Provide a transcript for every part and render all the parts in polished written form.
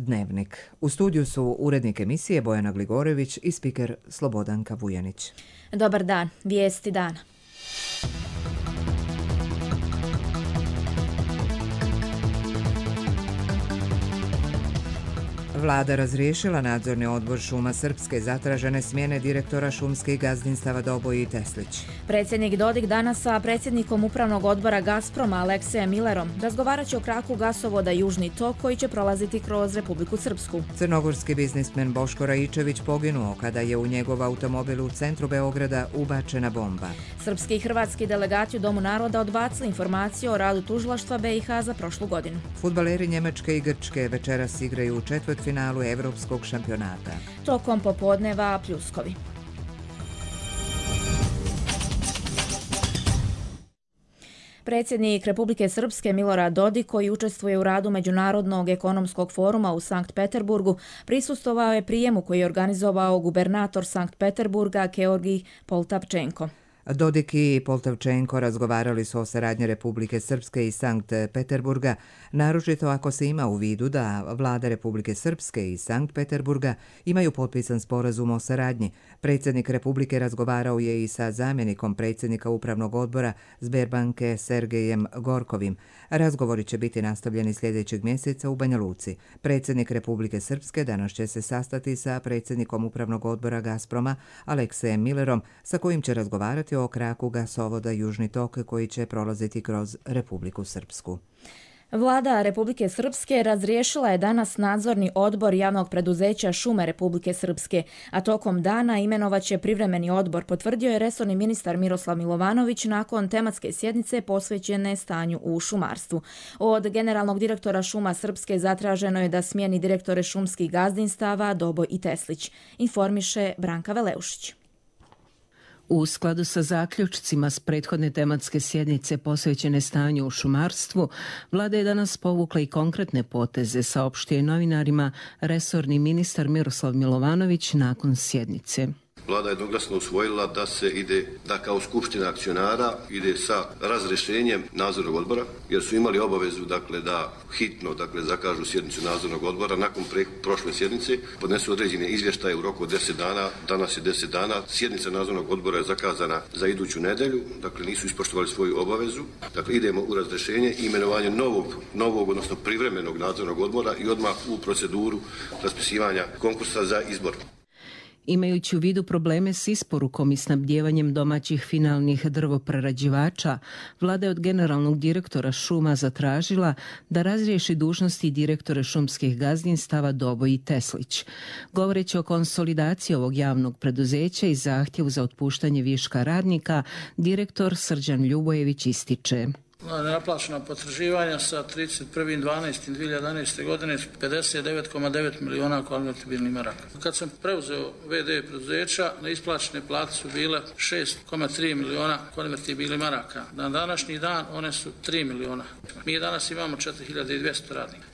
Dnevnik. U studiju su urednik emisije Bojana Gligorević i spiker Slobodanka Vujanić. Dobar dan, vijesti dana. Vlada razriješila nadzorni odbor Šuma Srpske, zatražene smjene direktora šumskih gazdinstava Doboj i Teslić. Predsjednik Dodik danas sa predsjednikom upravnog odbora Gazproma Aleksejem Millerom razgovarat će o kraku gasovoda Južni tok koji će prolaziti kroz Republiku Srpsku. Crnogorski biznismen Boško Raičević poginuo kada je u njegov automobil u centru Beograda ubačena bomba. Srpski i hrvatski delegati u Domu naroda odbacili informaciju o radu tužilaštva BiH za prošlu godinu. Fudbaleri Njemačke i Grčke večeras igraju u četvrtfinalu Evropskog šampionata. Tokom popodneva pljuskovi. Predsjednik Republike Srpske Milorad Dodik, koji učestvuje u radu Međunarodnog ekonomskog foruma u Sankt Peterburgu, prisustvovao je prijemu koji je organizovao gubernator Sankt Peterburga Georgij Poltavčenko. Dodik i Poltavčenko razgovarali su o saradnji Republike Srpske i Sankt Peterburga, naročito ako se ima u vidu da vlada Republike Srpske i Sankt Peterburga imaju potpisan sporazum o saradnji. Predsjednik Republike razgovarao je i sa zamjenikom predsjednika upravnog odbora Sberbanke Sergejem Gorkovim. Razgovori će biti nastavljeni sljedećeg mjeseca u Banja Luci. Predsjednik Republike Srpske danas će se sastati sa predsjednikom upravnog odbora Gazproma Aleksejem Millerom, sa kojim će razgovarati o kraku gasovoda Južni tok koji će prolaziti kroz Republiku Srpsku. Vlada Republike Srpske razriješila je danas nadzorni odbor javnog preduzeća Šume Republike Srpske, a tokom dana imenovaće privremeni odbor, potvrdio je resorni ministar Miroslav Milovanović nakon tematske sjednice posvećene stanju u šumarstvu. Od generalnog direktora Šuma Srpske zatraženo je da smijeni direktore šumskih gazdinstava Doboj i Teslić, informiše Branka Veleušić. U skladu sa zaključcima s prethodne tematske sjednice posvećene stanju u šumarstvu, vlada je danas povukla i konkretne poteze, saopštio je novinarima resorni ministar Miroslav Milovanović nakon sjednice. Vlada je jednoglasno usvojila da se ide, da kao skupština akcionara ide sa razrješenjem nadzornog odbora, jer su imali obavezu da hitno zakažu sjednicu nadzornog odbora nakon prošle sjednice, podnesu određene izvještaje u roku od 10 dana, danas je 10 dana, sjednica nadzornog odbora je zakazana za iduću nedjelju, nisu ispoštovali svoju obavezu, idemo u razrješenje i imenovanje novog, odnosno privremenog nadzornog odbora i odmah u proceduru raspisivanja konkursa za izbor. Imajući u vidu probleme s isporukom i snabdjevanjem domaćih finalnih drvoprerađivača, vlada je od generalnog direktora šuma zatražila da razriješi dužnosti direktore šumskih gazdinstava Doboj i Teslić. Govoreći o konsolidaciji ovog javnog preduzeća i zahtjevu za otpuštanje viška radnika, direktor Srđan Ljubojević ističe: Nenaplaćena potraživanja sa 31.12.2011. godine 59,9 miliona konvertibilnih maraka. Kad sam preuzeo VD preduzeća, neisplaćene plate su bile 6,3 miliona konvertibilnih maraka. Na današnji dan one su 3 miliona. Mi danas imamo 4200 radnika.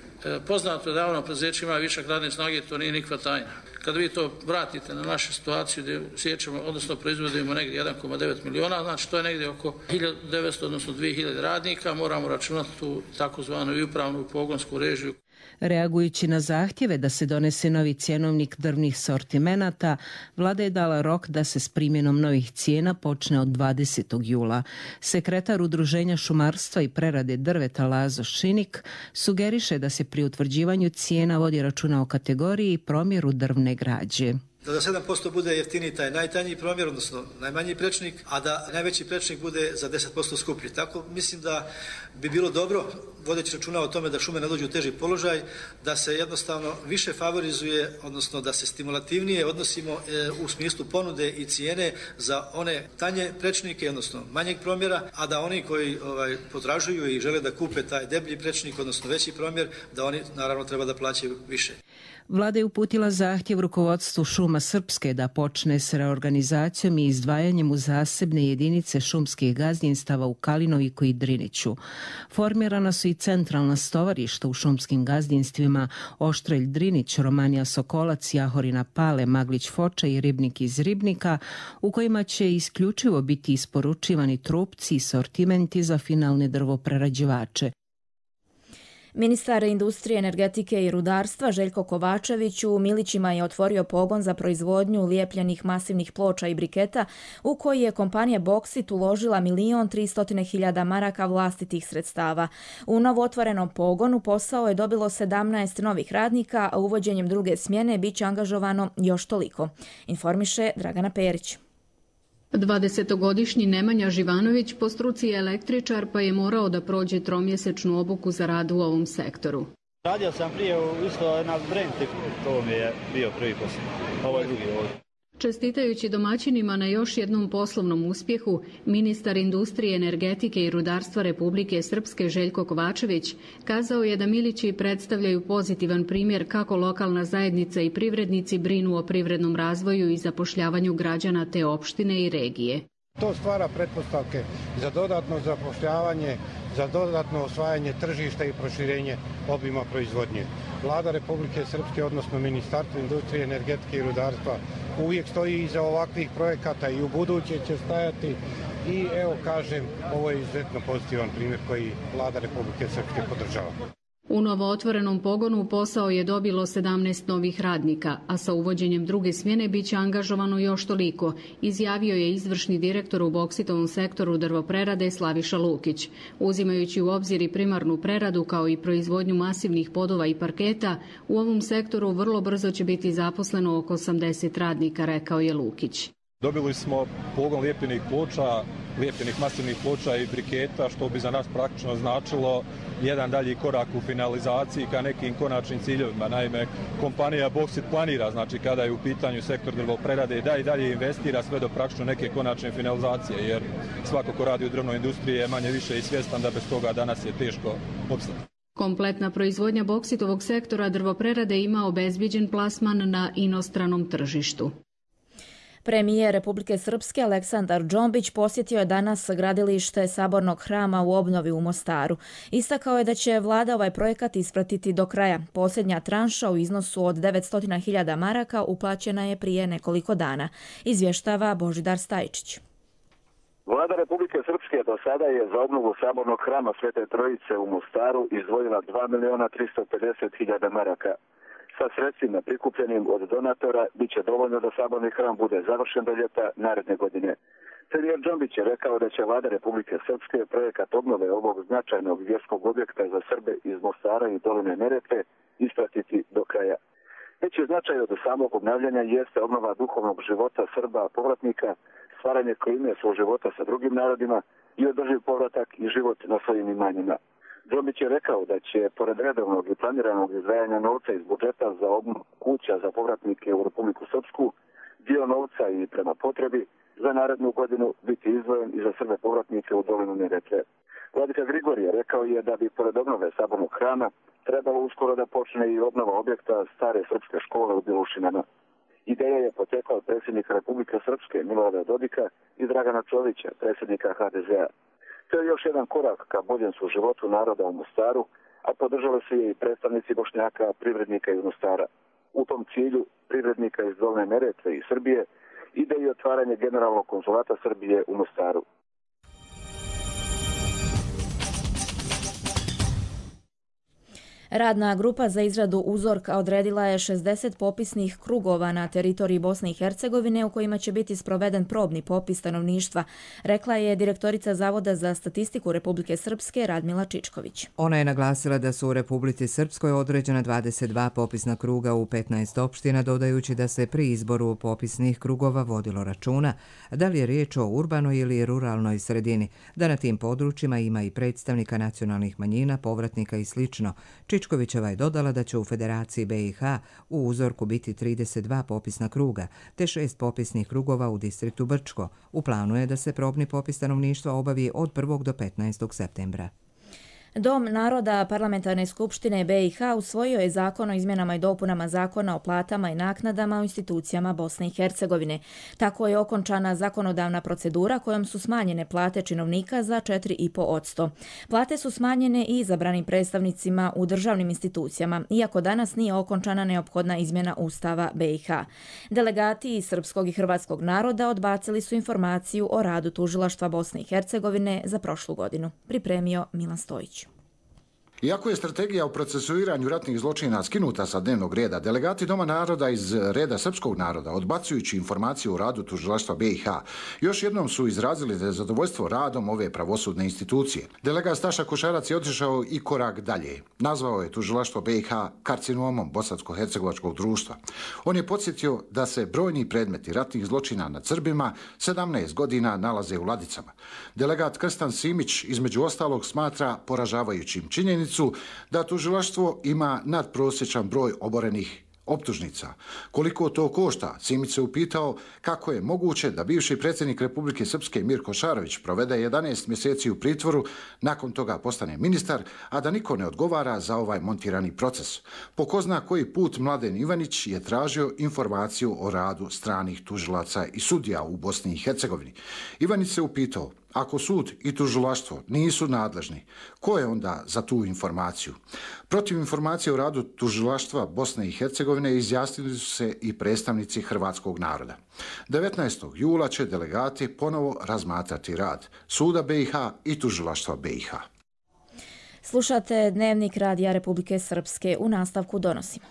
Poznato je da javno preduzeće ima višak radne snage, to nije nikakva tajna. Kad vi to vratite na našu situaciju gdje sjećamo, odnosno proizvodimo negdje 1,9 miliona, znači to je negdje oko 1900, odnosno 2000 radnika, moramo računati tu takozvanu i upravnu i pogonsku režiju. Reagujući na zahtjeve da se donese novi cjenovnik drvnih sortimenata, vlada je dala rok da se s primjenom novih cijena počne od 20. jula. Sekretar Udruženja šumarstva i prerade drveta Lazo Šinik sugeriše da se pri utvrđivanju cijena vodi računa o kategoriji i promjeru drvne građe. Da 7% bude jeftiniji taj najtanji promjer, odnosno najmanji prečnik, a da najveći prečnik bude za 10% skuplji. Tako mislim da bi bilo dobro, vodeći računa o tome da šume ne dođu u teži položaj, da se jednostavno više favorizuje, odnosno da se stimulativnije odnosimo u smislu ponude i cijene za one tanje prečnike, odnosno manjeg promjera, a da oni koji potražuju i žele da kupe taj deblji prečnik, odnosno veći promjer, da oni naravno treba da plaćaju više. Vlada je uputila zahtjev rukovodstvu Šuma Srpske da počne s reorganizacijom i izdvajanjem u zasebne jedinice šumskih gazdinstava u Kalinoviku i Driniću. Formirana su i centralna stovarišta u šumskim gazdinstvima Oštrelj Drinić, Romanija Sokolac, Jahorina Pale, Maglić Foča i Ribnik iz Ribnika, u kojima će isključivo biti isporučivani trupci i sortimenti za finalne drvoprerađivače. Ministar industrije, energetike i rudarstva Željko Kovačević u Milićima je otvorio pogon za proizvodnju lijepljenih masivnih ploča i briketa u koji je kompanija Boksit uložila 1.300.000 maraka vlastitih sredstava. U novootvorenom pogonu posao je dobilo 17 novih radnika, a uvođenjem druge smjene bit će angažovano još toliko. Informiše Dragana Perić. 20-godišnji Nemanja Živanović po struci je električar, pa je morao da prođe tromjesečnu obuku za rad u ovom sektoru. Radio sam prije isto na Brenti, to mi je bio prvi posao. Ovo je drugi ovdje. Čestitajući domaćinima na još jednom poslovnom uspjehu, ministar industrije, energetike i rudarstva Republike Srpske Željko Kovačević kazao je da Milići predstavljaju pozitivan primjer kako lokalna zajednica i privrednici brinu o privrednom razvoju i zapošljavanju građana te opštine i regije. To stvara pretpostavke za dodatno zapošljavanje, za dodatno osvajanje tržišta i proširenje obima proizvodnje. Vlada Republike Srpske, odnosno Ministarstvo industrije, energetike i rudarstva, uvijek stoji iza ovakvih projekata i u buduće će stajati i evo kažem, ovo je izuzetno pozitivan primjer koji Vlada Republike Srpske podržava. U novootvorenom pogonu posao je dobilo 17 novih radnika, a sa uvođenjem druge smjene bit će angažovano još toliko, izjavio je izvršni direktor u Boksitovom sektoru drvoprerade Slaviša Lukić. Uzimajući u obzir i primarnu preradu kao i proizvodnju masivnih podova i parketa, u ovom sektoru vrlo brzo će biti zaposleno oko 80 radnika, rekao je Lukić. Dobili smo pogon lijepljenih ploča, lijepljenih masivnih ploča i briketa, što bi za nas praktično značilo jedan dalji korak u finalizaciji ka nekim konačnim ciljevima. Naime, kompanija Boksit planira, znači kada je u pitanju sektor drvoprerade, da i dalje investira sve do praktično neke konačne finalizacije, jer svako ko radi u drvnoj industriji je manje više i svjestan da bez toga danas je teško opstati. Kompletna proizvodnja Boksitovog sektora drvoprerade ima obezbijeđen plasman na inostranom tržištu. Premijer Republike Srpske Aleksandar Džombić posjetio je danas gradilište Sabornog hrama u obnovi u Mostaru. Istakao je da će vlada ovaj projekat ispratiti do kraja. Posljednja tranša u iznosu od 900.000 maraka uplaćena je prije nekoliko dana. Izvještava Božidar Stajčić. Vlada Republike Srpske do sada je za obnovu Sabornog hrama Svete Trojice u Mostaru izdvojila 2.350.000 maraka. Sa sredstvima prikupljenim od donatora bit će dovoljno da Saborni hram bude završen do ljeta naredne godine. Premijer Džombić je rekao da će Vlada Republike Srpske projekat obnove ovog značajnog vjerskog objekta za Srbe iz Mostara i doline Neretve ispratiti do kraja. Veći značaj od samog obnavljanja jeste obnova duhovnog života Srba povratnika, stvaranje klime svog života sa drugim narodima i održiv povratak i život na svojim imanjima. Džombić je rekao da će, pored redovnog i planiranog izdvajanja novca iz budžeta za obnovu kuća za povratnike u Republiku Srpsku, dio novca i prema potrebi za narednu godinu biti izdvojen i za Srbe povratnike u dolinu Neretve. Vladika Grigorije rekao je da bi, pored obnove Sabornog hrama, trebalo uskoro da počne i obnova objekta stare srpske škole u Bilušinama. Ideja je potekla od predsjednika Republike Srpske Milorada Dodika i Dragana Čovića, predsjednika HDZ-a. To je još jedan korak ka boljem suživotu naroda u Mostaru, a podržali su je i predstavnici Bošnjaka, privrednika iz Mostara. U tom cilju privrednika iz Dolne Neretve i Srbije ide i otvaranje generalnog konzulata Srbije u Mostaru. Radna grupa za izradu uzorka odredila je 60 popisnih krugova na teritoriji Bosne i Hercegovine u kojima će biti sproveden probni popis stanovništva, rekla je direktorica Zavoda za statistiku Republike Srpske Radmila Čičković. Ona je naglasila da su u Republici Srpskoj određena 22 popisna kruga u 15 opština, dodajući da se pri izboru popisnih krugova vodilo računa da li je riječ o urbanoj ili ruralnoj sredini, da na tim područjima ima i predstavnika nacionalnih manjina, povratnika i slično. Čičkovićeva je dodala da će u Federaciji BiH u uzorku biti 32 popisna kruga, te 6 popisnih krugova u distriktu Brčko. U planu je da se probni popis stanovništva obavi od 1. do 15. septembra. Dom naroda Parlamentarne skupštine BiH usvojio je zakon o izmjenama i dopunama zakona o platama i naknadama u institucijama Bosne i Hercegovine. Tako je okončana zakonodavna procedura kojom su smanjene plate činovnika za 4,5%. Plate su smanjene i izabranim predstavnicima u državnim institucijama, iako danas nije okončana neophodna izmjena Ustava BiH. Delegati iz srpskog i hrvatskog naroda odbacili su informaciju o radu tužilaštva Bosne i Hercegovine za prošlu godinu. Pripremio Milan Stojić. Iako je strategija o procesuiranju ratnih zločina skinuta sa dnevnog reda, delegati Doma naroda iz reda srpskog naroda, odbacujući informaciju o radu tužilaštva BiH, još jednom su izrazili nezadovoljstvo radom ove pravosudne institucije. Delegat Staša Košarac je otišao i korak dalje. Nazvao je tužilaštvo BiH karcinomom bosansko-hercegovačkog društva. On je podsjetio da se brojni predmeti ratnih zločina nad Srbima 17 godina nalaze u ladicama. Delegat Krstan Simić između ostalog smatra poražavajućim činjenicu da tužilaštvo ima nadprosječan broj oborenih optužnica. Koliko to košta? Simić se upitao kako je moguće da bivši predsjednik Republike Srpske Mirko Šarović provede 11 mjeseci u pritvoru, nakon toga postane ministar, a da niko ne odgovara za ovaj montirani proces. Po ko zna koji put Mladen Ivanić je tražio informaciju o radu stranih tužilaca i sudija u Bosni i Hercegovini. Ivanić se upitao, ako sud i tužilaštvo nisu nadležni, ko je onda za tu informaciju? Protiv informacije o radu tužilaštva Bosne i Hercegovine izjasnili su se i predstavnici hrvatskog naroda. 19. jula će delegati ponovo razmatrati rad suda BiH i tužilaštva BiH. Slušate Dnevnik Radija Republike Srpske. U nastavku donosimo.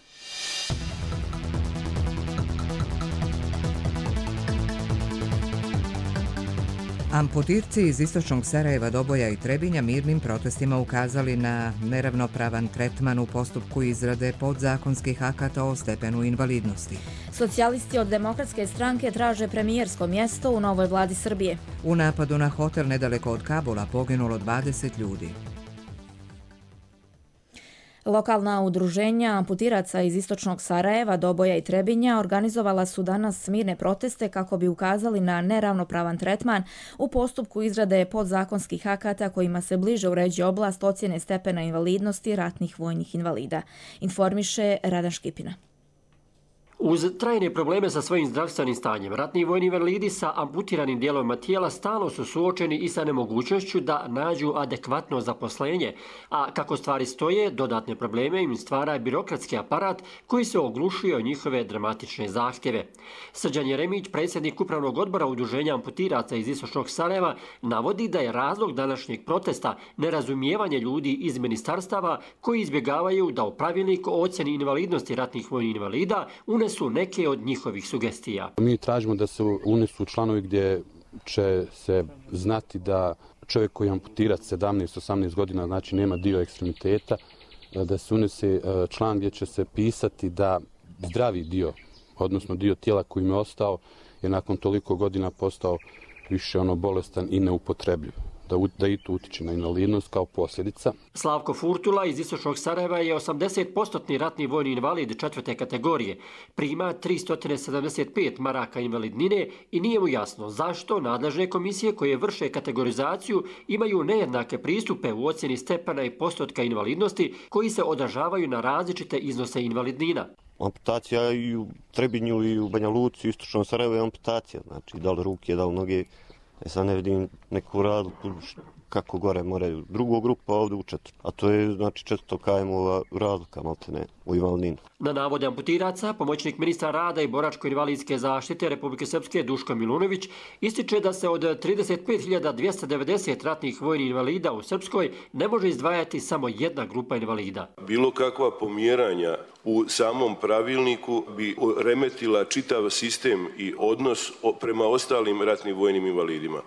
Amputirci iz istočnog Sarajeva, Doboja i Trebinja mirnim protestima ukazali na neravnopravan tretman u postupku izrade podzakonskih akata o stepenu invalidnosti. Socijalisti od Demokratske stranke traže premijersko mjesto u novoj vladi Srbije. U napadu na hotel nedaleko od Kabula poginulo 20 ljudi. Lokalna udruženja amputiraca iz istočnog Sarajeva, Doboja i Trebinja organizovala su danas mirne proteste kako bi ukazali na neravnopravan tretman u postupku izrade podzakonskih akata kojima se bliže uređuje oblast ocjene stepena invalidnosti ratnih vojnih invalida. Informiše Radan Škipina. Uz trajne probleme sa svojim zdravstvenim stanjem, ratni vojni invalidi sa amputiranim dijelovima tijela stalno su suočeni i sa nemogućnošću da nađu adekvatno zaposlenje, a kako stvari stoje, dodatne probleme im stvara birokratski aparat koji se oglušuje o njihove dramatične zahtjeve. Srđan Jeremić, predsjednik upravnog odbora udruženja amputiraca iz istočnog Sarajeva, navodi da je razlog današnjeg protesta nerazumijevanje ljudi iz ministarstava koji izbjegavaju da u pravilnik o ocjeni invalidnosti ratnih vojnih invalida su neke od njihovih sugestija. Mi tražimo da se unesu članovi gdje će se znati da čovjek koji je amputirat 17-18 godina, znači nema dio ekstremiteta, da se unese član gdje će se pisati da zdravi dio, odnosno dio tijela koji im je ostao, je nakon toliko godina postao više bolestan i neupotrebljiv. Da i to utiče na invalidnost kao posljedica. Slavko Furtula iz istočnog Sarajeva je 80% ratni vojni invalid 4. kategorije. Prima 375 maraka invalidnine i nije mu jasno zašto nadležne komisije koje vrše kategorizaciju imaju nejednake pristupe u ocjeni stepena i postotka invalidnosti koji se odražavaju na različite iznose invalidnina. Amputacija i u Trebinju i u Banja Luci, u istočnom Sarajevu je amputacija. Znači, da li ruke, da li noge. Sad ne vidim neku razliku kako gore moraju drugu grupu, a ovdje u četvrtu. A to je znači 400 km-ova razlika, maltene, u invalidninu. Na navode amputiraca, pomoćnik ministra rada i boračko-invalidske zaštite Republike Srpske Duško Milunović ističe da se od 35.290 ratnih vojnih invalida u Srpskoj ne može izdvajati samo jedna grupa invalida. Bilo kakva pomjeranja u samom pravilniku bi remetila čitav sistem i odnos prema ostalim ratnim vojnim invalidima.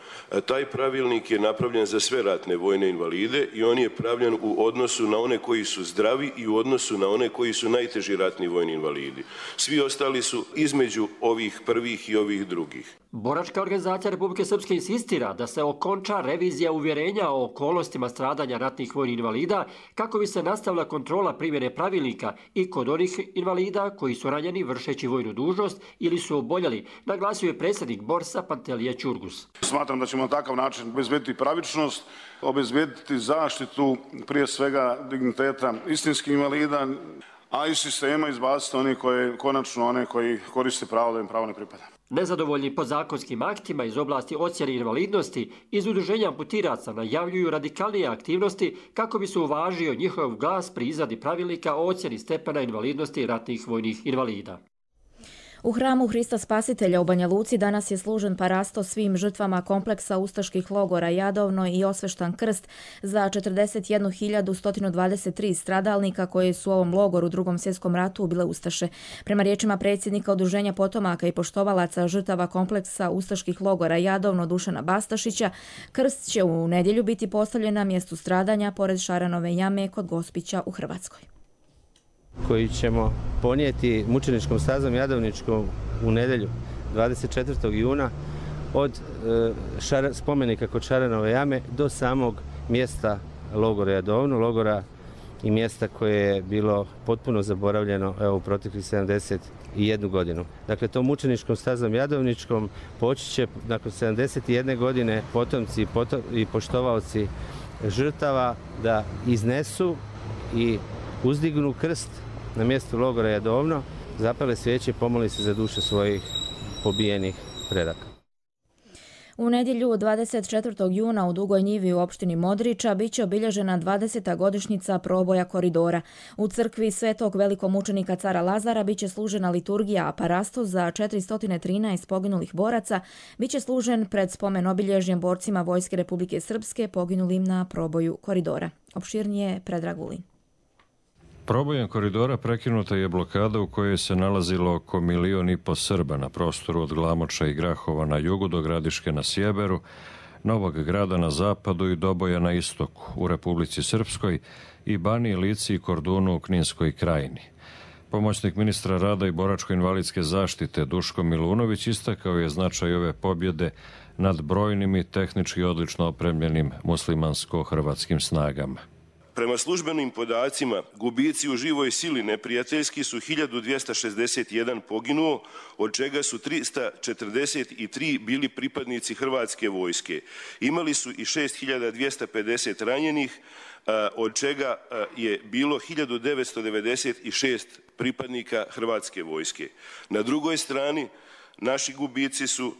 Taj pravilnik je napravljen za sve ratne vojne invalide i on je pravljen u odnosu na one koji su zdravi i u odnosu na one koji su najteži ratni vojni invalidi. Svi ostali su između ovih prvih i ovih drugih. Boračka organizacija Republike Srpske insistira da se okonča revizija uvjerenja o okolnostima stradanja ratnih vojnih invalida kako bi se nastavila kontrola primjene pravilnika i kod onih invalida koji su ranjeni vršeći vojnu dužnost ili su oboljeli, naglasio je predsjednik Borsa Pantelija Ćurgus. Smatram da ćemo na takav način obezbediti pravičnost, obezbediti zaštitu prije svega digniteta istinskih invalida, a iz sistema izbaciti one koji koriste pravo da im pravo ne pripada. Nezadovoljni podzakonskim aktima iz oblasti ocjene invalidnosti iz udruženja amputiraca najavljuju radikalnije aktivnosti kako bi se uvažio njihov glas pri izradi pravilnika o ocjeni stepena invalidnosti ratnih vojnih invalida. U hramu Hrista Spasitelja u Banja Luci danas je služen parasto svim žrtvama kompleksa ustaških logora Jadovno i osveštan krst za 41.123 stradalnika koji su u ovom logoru u Drugom svjetskom ratu ubile ustaše. Prema riječima predsjednika Udruženja potomaka i poštovalaca žrtava kompleksa ustaških logora Jadovno Dušana Bastašića, krst će u nedjelju biti postavljen na mjestu stradanja pored Šaranove jame kod Gospića u Hrvatskoj, koji ćemo ponijeti mučeničkom stazom Jadovničkom u nedjelju 24. juna od spomenika kod Šaranove jame do samog mjesta logora Jadovno, logora i mjesta koje je bilo potpuno zaboravljeno u proteklih 71 godinu. Dakle, tom mučeničkom stazom Jadovničkom poći će nakon 71 godine potomci i poštovaoci žrtava da iznesu i uzdignu krst na mjestu logora Jadovno, zapale svijeće i pomoli se za duše svojih pobijenih predaka. U nedjelju 24. juna u Dugoj Njivi u opštini Modriča biće obilježena 20. godišnjica proboja koridora. U crkvi Svetog velikomučenika cara Lazara biće služena liturgija, a parasto za 413 poginulih boraca biće služen pred spomen obilježjem borcima Vojske Republike Srpske poginulim na proboju koridora. Opširnije Predrag Vulin. Probojem koridora prekinuta je blokada u kojoj se nalazilo oko 1,5 miliona Srba na prostoru od Glamoča i Grahova na jugu do Gradiške na sjeveru, Novog Grada na zapadu i Doboja na istoku u Republici Srpskoj i Baniji, Lici i Kordunu u Kninskoj krajini. Pomoćnik ministra rada i boračko-invalidske zaštite Duško Milunović istakao je značaj ove pobjede nad brojnim i tehnički odlično opremljenim muslimansko-hrvatskim snagama. Prema službenim podacima, gubici u živoj sili neprijateljski su 1261 poginuo, od čega su 343 bili pripadnici Hrvatske vojske. Imali su i 6250 ranjenih, od čega je bilo 1996 pripadnika Hrvatske vojske. Na drugoj strani, naši gubici su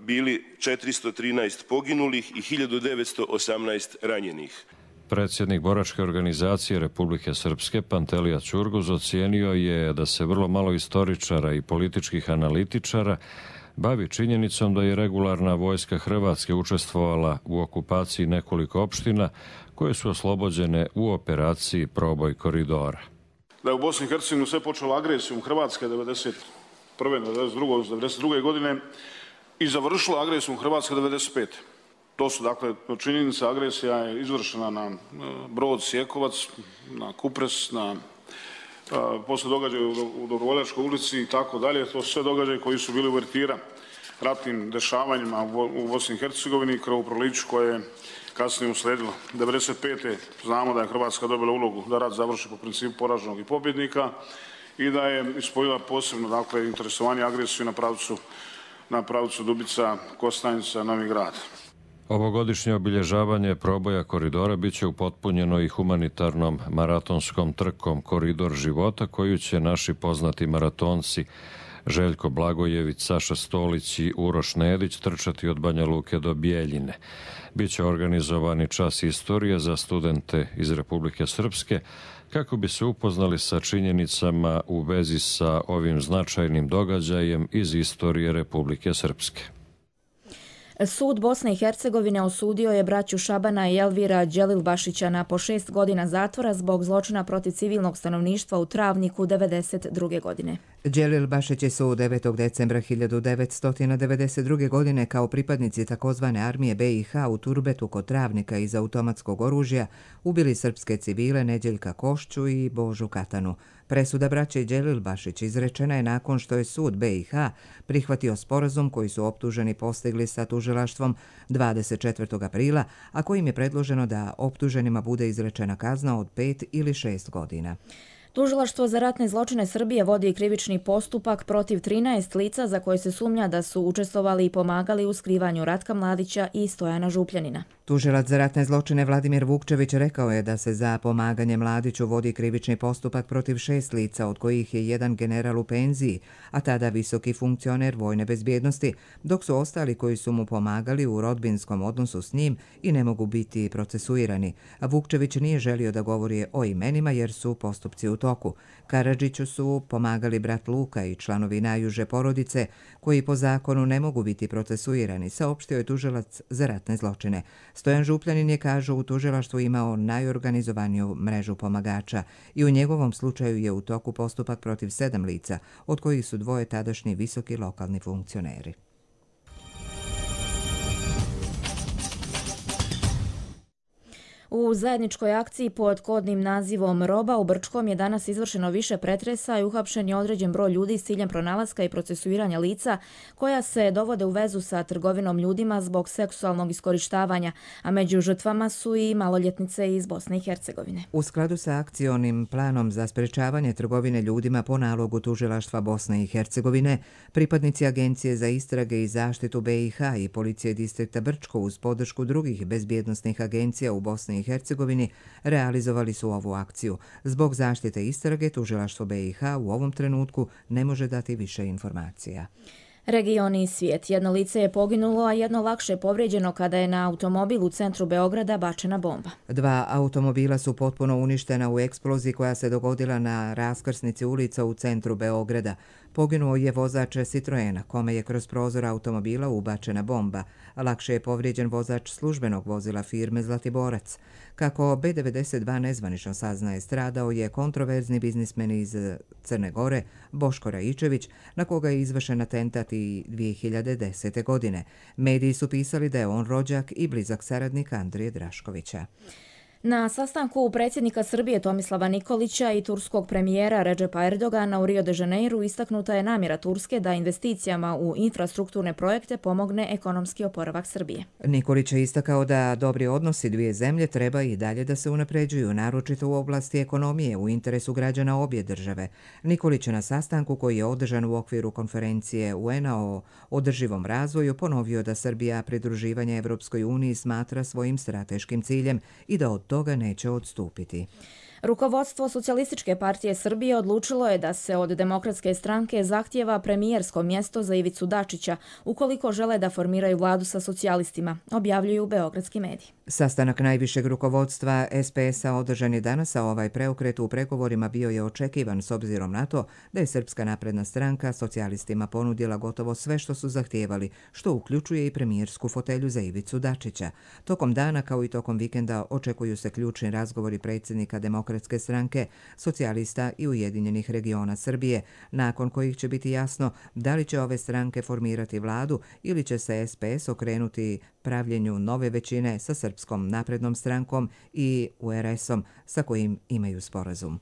bili 413 poginulih i 1918 ranjenih. Predsjednik boračke organizacije Republike Srpske Pantelija Ćurguz ocijenio je da se vrlo malo istoričara i političkih analitičara bavi činjenicom da je regularna vojska Hrvatske učestvovala u okupaciji nekoliko opština koje su oslobođene u operaciji Proboj koridora. Da je u Bosni i Hercegovini sve počelo agresijom Hrvatske 1991. 1992. godine i završila agresijom Hrvatske 1995. To su, dakle, činjenica, agresija je izvršena na Brod Sjekovac, na Kupres, na posle događaja u Dobrovoljačkoj ulici i tako dalje. To su sve događaje koji su bili uvertira ratnim dešavanjima u Bosni i Hercegovini, krvoproliću koje je kasnije usledilo. 1995. znamo da je Hrvatska dobila ulogu da rat završi po principu poraženog i pobjednika i da je ispojila posebno, dakle, interesovanje agresiju na pravcu Dubica, Kostajnica, Novi Grad. Ovogodišnje obilježavanje proboja koridora biće upotpunjeno i humanitarnom maratonskom trkom Koridor života koju će naši poznati maratonci Željko Blagojević, Saša Stolić i Uroš Nedić trčati od Banja Luke do Bijeljine. Biće organizovani čas istorije za studente iz Republike Srpske kako bi se upoznali sa činjenicama u vezi sa ovim značajnim događajem iz istorije Republike Srpske. Sud Bosne i Hercegovine osudio je braću Šabana i Elvira Đelilbašića na po 6 godina zatvora zbog zločina protiv civilnog stanovništva u Travniku 1992. godine. Đelilbašići su 9. decembra 1992. godine kao pripadnici takozvane armije BiH u Turbetu kod Travnika iz automatskog oružja ubili srpske civile Neđeljka Košću i Božu Katanu. Presuda braće Đelilbašić izrečena je nakon što je sud BiH prihvatio sporazum koji su optuženi postigli sa tužilaštvom 24. aprila, a kojim je predloženo da optuženima bude izrečena kazna od 5 ili 6 godina. Tužilaštvo za ratne zločine Srbije vodi krivični postupak protiv 13 lica za koje se sumnja da su učestvovali i pomagali u skrivanju Ratka Mladića i Stojana Župljanina. Tužilac za ratne zločine Vladimir Vukčević rekao je da se za pomaganje Mladiću vodi krivični postupak protiv 6 lica, od kojih je jedan general u penziji, a tada visoki funkcioner vojne bezbjednosti, dok su ostali koji su mu pomagali u rodbinskom odnosu s njim i ne mogu biti procesuirani. Vukčević nije želio da govori o imenima jer su postupci u toku. Karadžiću su pomagali brat Luka i članovi najuže porodice, koji po zakonu ne mogu biti procesuirani, saopštio je tužilac za ratne zločine. Stojan Župljanin je, kažu, u tužilaštvu imao najorganizovaniju mrežu pomagača i u njegovom slučaju je u toku postupak protiv 7 lica, od kojih su 2 tadašnji visoki lokalni funkcioneri. U zajedničkoj akciji pod kodnim nazivom Roba u Brčkom je danas izvršeno više pretresa i uhapšen je određen broj ljudi s ciljem pronalaska i procesuiranja lica koja se dovode u vezu sa trgovinom ljudima zbog seksualnog iskorištavanja, a među žrtvama su i maloljetnice iz Bosne i Hercegovine. U skladu sa akcionim planom za sprečavanje trgovine ljudima po nalogu Tužilaštva Bosne i Hercegovine, pripadnici Agencije za istrage i zaštitu BiH i Policije distrikta Brčko uz podršku drugih bezbjednosnih agencija u Bosni i Hercegovini realizovali su ovu akciju. Zbog zaštite istrage, Tužilaštvo BiH u ovom trenutku ne može dati više informacija. Region i svijet. Jedno lice je poginulo, a jedno lakše povrijeđeno kada je na automobil u centru Beograda bačena bomba. 2 automobila su potpuno uništena u eksploziji koja se dogodila na raskrsnici ulica u centru Beograda. Poginuo je vozač Citroena, kome je kroz prozor automobila ubačena bomba. Lakše je povrijeđen vozač službenog vozila firme Zlatiborac. Kako B92 nezvanično saznaje, stradao je kontroverzni biznismen iz Crne Gore, Boško Raičević, na koga je izvršen atentat i 2010. godine. Mediji su pisali da je on rođak i blizak saradnik Andrije Draškovića. Na sastanku predsjednika Srbije Tomislava Nikolića i turskog premijera Redžepa Erdogana u Rio de Janeiru istaknuta je namjera Turske da investicijama u infrastrukturne projekte pomogne ekonomski oporavak Srbije. Nikolić je istakao da dobri odnosi dvije zemlje treba i dalje da se unapređuju, naročito u oblasti ekonomije u interesu građana obje države. Nikolić je na sastanku koji je održan u okviru konferencije UN-a o održivom razvoju ponovio da Srbija pridruživanje Evropskoj uniji smatra svojim strateškim ciljem i da od toga neće odstupiti. Rukovodstvo Socijalističke partije Srbije odlučilo je da se od Demokratske stranke zahtijeva premijersko mjesto za Ivicu Dačića, ukoliko žele da formiraju vladu sa socijalistima, objavljuju beogradski mediji. Sastanak najvišeg rukovodstva SPS-a održan je danas, a ovaj preokret u pregovorima bio je očekivan s obzirom na to da je Srpska napredna stranka socijalistima ponudila gotovo sve što su zahtijevali, što uključuje i premijersku fotelju za Ivicu Dačića. Tokom dana kao i tokom vikenda očekuju se ključni razgovori predsjednika Demokratske stranke, socijalista i Ujedinjenih regiona Srbije, nakon kojih će biti jasno da li će ove stranke formirati vladu ili će se SPS okrenuti pravljenju nove većine sa Srpskom naprednom strankom i URS-om sa kojim imaju sporazum.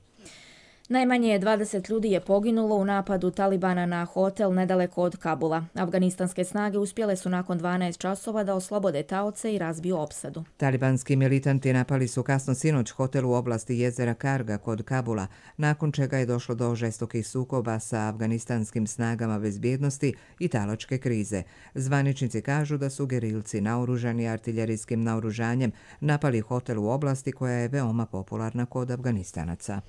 Najmanje 20 ljudi je poginulo u napadu Talibana na hotel nedaleko od Kabula. Afganistanske snage uspjele su nakon 12 časova da oslobode taoce i razbiju opsadu. Talibanski militanti napali su kasno sinoć hotel u oblasti jezera Karga kod Kabula, nakon čega je došlo do žestokih sukoba sa afganistanskim snagama bezbjednosti i talačke krize. Zvaničnici kažu da su gerilci naoružani artiljerijskim naoružanjem napali hotel u oblasti koja je veoma popularna kod Afganistanaca.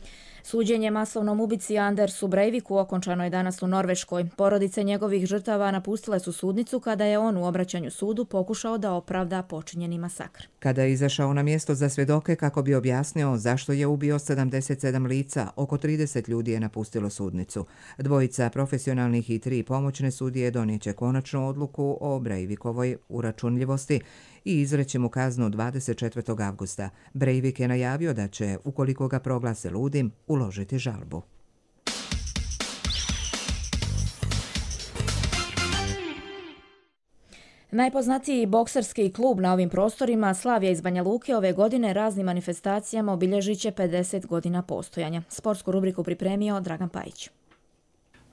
Suđenje masovnom ubici Andersu Breiviku okončano je danas u Norveškoj. Porodice njegovih žrtava napustile su sudnicu kada je on u obraćanju sudu pokušao da opravda počinjeni masakr. Kada je izašao na mjesto za svjedoke kako bi objasnio zašto je ubio 77 lica, oko 30 ljudi je napustilo sudnicu. 2 profesionalnih i 3 pomoćne sudije donijeće konačnu odluku o Breivikovoj uračunljivosti i izreći mu kaznu 24. avgusta. Breivik je najavio da će, ukoliko ga proglase ludim, uložiti žalbu. Najpoznatiji bokserski klub na ovim prostorima, Slavija iz Banja Luke, ove godine raznim manifestacijama obilježit će 50 godina postojanja. Sportsku rubriku pripremio Dragan Pajić.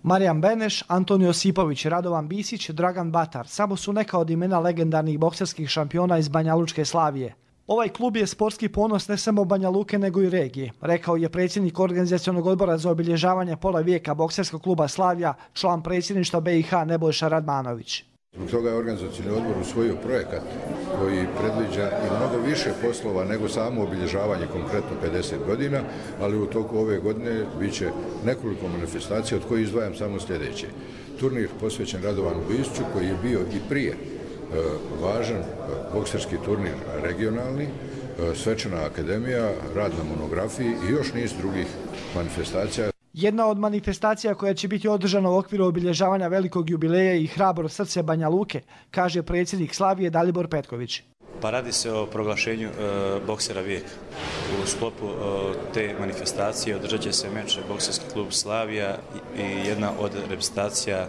Marijan Beneš, Antonio Josipović, Radovan Bisić, Dragan Batar samo su neka od imena legendarnih bokserskih šampiona iz Banja Lučke Slavije. Ovaj klub je sportski ponos ne samo Banja Luke nego i regije, rekao je predsjednik organizacionog odbora za obilježavanje pola vijeka bokserskog kluba Slavija, član predsjedništva BiH Nebojša Radmanović. Zbog toga je organizacijni odbor usvojio projekat koji predviđa i mnogo više poslova nego samo obilježavanje konkretno 50 godina, ali u toku ove godine bit će nekoliko manifestacija od kojih izdvajam samo sljedeće. Turnir posvećen Radovanu Bisiću koji je bio i prije važan bokserski turnir regionalni, svečana akademija, rad na monografiji i još niz drugih manifestacija. Jedna od manifestacija koja će biti održana u okviru obilježavanja velikog jubileja i Hrabro srce Banja Luke, kaže predsjednik Slavije Dalibor Petković. Pa radi se o proglašenju boksera vijeka. U sklopu te manifestacije održat će se meč bokserski klub Slavija i jedna od reprezentacija,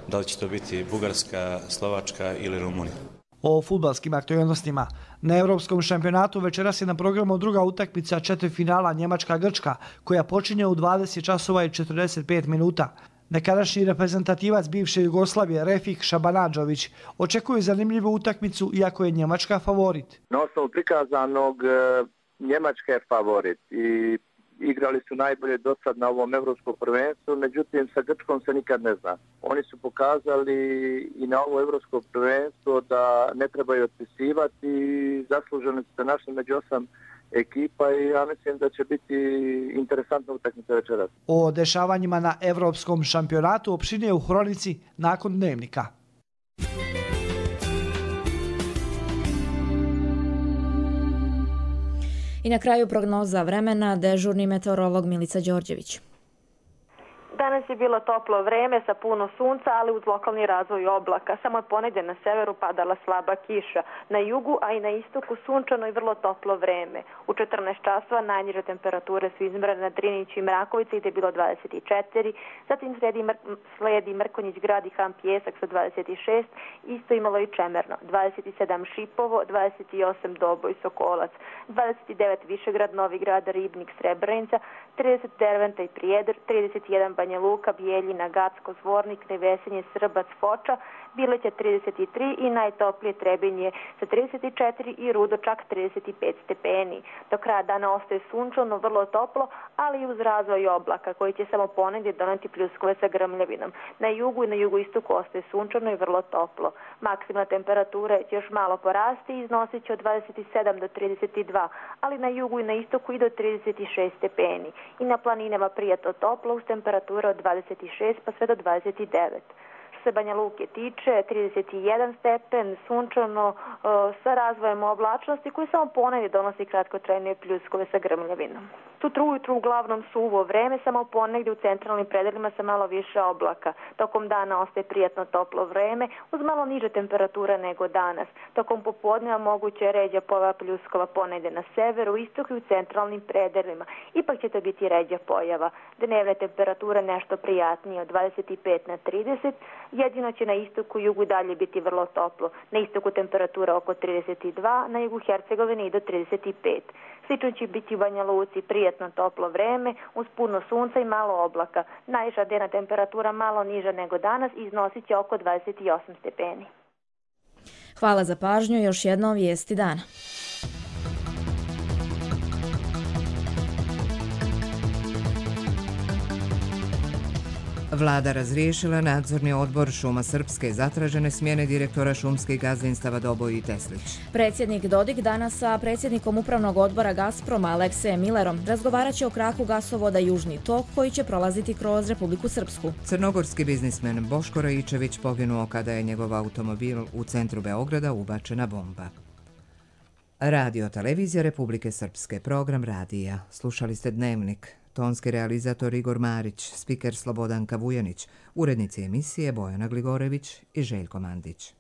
da li će to biti Bugarska, Slovačka ili Rumunija. O fudbalskim aktualnostima. Na Europskom šampionatu večeras je na programu druga utakmica četvrtfinala Njemačka-Grčka, koja počinje u 20 časova i 45 minuta. Nekadašnji reprezentativac bivše Jugoslavije Refik Šabanadžović očekuje zanimljivu utakmicu, iako je Njemačka favorit. Na osnovu prikazanog Njemačka je favorit i igrali su najbolje do sad na ovom evropskom prvenstvu, međutim sa Grčkom se nikad ne zna. Oni su pokazali i na ovo evropsko prvenstvo da ne trebaju otpisivati i zasluženi su se našli među 8 ekipa i ja mislim da će biti interesantna utakmica večeras. O dešavanjima na Evropskom šampionatu opširnije u Hronici nakon Dnevnika. I na kraju prognoza vremena, dežurni meteorolog Milica Đorđević. Danas je bilo toplo vreme sa puno sunca, ali uz lokalni razvoj oblaka. Samo od ponedje na severu padala slaba kiša. Na jugu, a i na istoku sunčano i vrlo toplo vreme. U 14 časova najniže temperature su izmjerene na Driniću i Mrakovici gdje je bilo 24, zatim slijedi Mrkonjić grad i Ham Pjesak sa 26, isto imalo i Čemerno, 27 Šipovo, 28 Doboj Sokolac, 29 Višegrad, Novi Grad, Ribnik, Srebrenica, 30 Derventa i Prijedor, 31 Banja Luka, Bijeljina, Gacko, Zvornik, Nevesenje, Srbac, Foča, Bileća 33 i najtoplije Trebinje sa 34 i Rudo čak 35 stepeni. Do kraja dana ostaje sunčano, vrlo toplo, ali i uz razvoj oblaka koji će samo ponedje doneti pljuskove sa grmljavinom. Na jugu i na jugoistoku ostaje sunčano i vrlo toplo. Maksimalna temperatura će još malo porasti i iznosit će od 27 do 32, ali na jugu i na istoku i do 36 stepeni. I na planinama prijatno toplo uz temperatura od 26 pa sve do 29. Što se Banja Luke tiče, 31 stepen, sunčano sa razvojem oblačnosti koji samo ponedje donosi kratkotrajne pljuskove sa grmljavinom. Sutra ujutru uglavnom suvo vreme, samo ponegdje u centralnim predelima sa malo više oblaka. Tokom dana ostaje prijatno toplo vreme uz malo niže temperature nego danas. Tokom popodneva moguće je ređa pojava pljuskova ponegdje na severu, istoku i u centralnim predelima. Ipak će to biti ređa pojava. Dnevne temperature nešto prijatnije od 25 na 30, jedino će na istoku i jugu dalje biti vrlo toplo. Na istoku temperatura oko 32, na jugu Hercegovine i do 35. Slično će biti u Banja Luci prijatno toplo vreme uz puno sunca i malo oblaka. Najviša dnevna temperatura malo niža nego danas i iznosit će oko 28 stepeni. Hvala za pažnju, još jednom vijesti dana. Vlada razriješila nadzorni odbor Šuma Srpske, zatražene smjene direktora šumskih gazdinstava Doboj i Teslić. Predsjednik Dodik danas sa predsjednikom upravnog odbora Gazproma Aleksejem Millerom razgovarat će o kraku gasovoda Južni tok koji će prolaziti kroz Republiku Srpsku. Crnogorski biznismen Boško Rajičević poginuo kada je njegov automobil u centru Beograda ubačena bomba. Radio televizija Republike Srpske, program radija. Slušali ste Dnevnik. Tonski realizator Igor Marić, spiker Slobodanka Vujanić, urednici emisije Bojana Gligorević i Željko Mandić.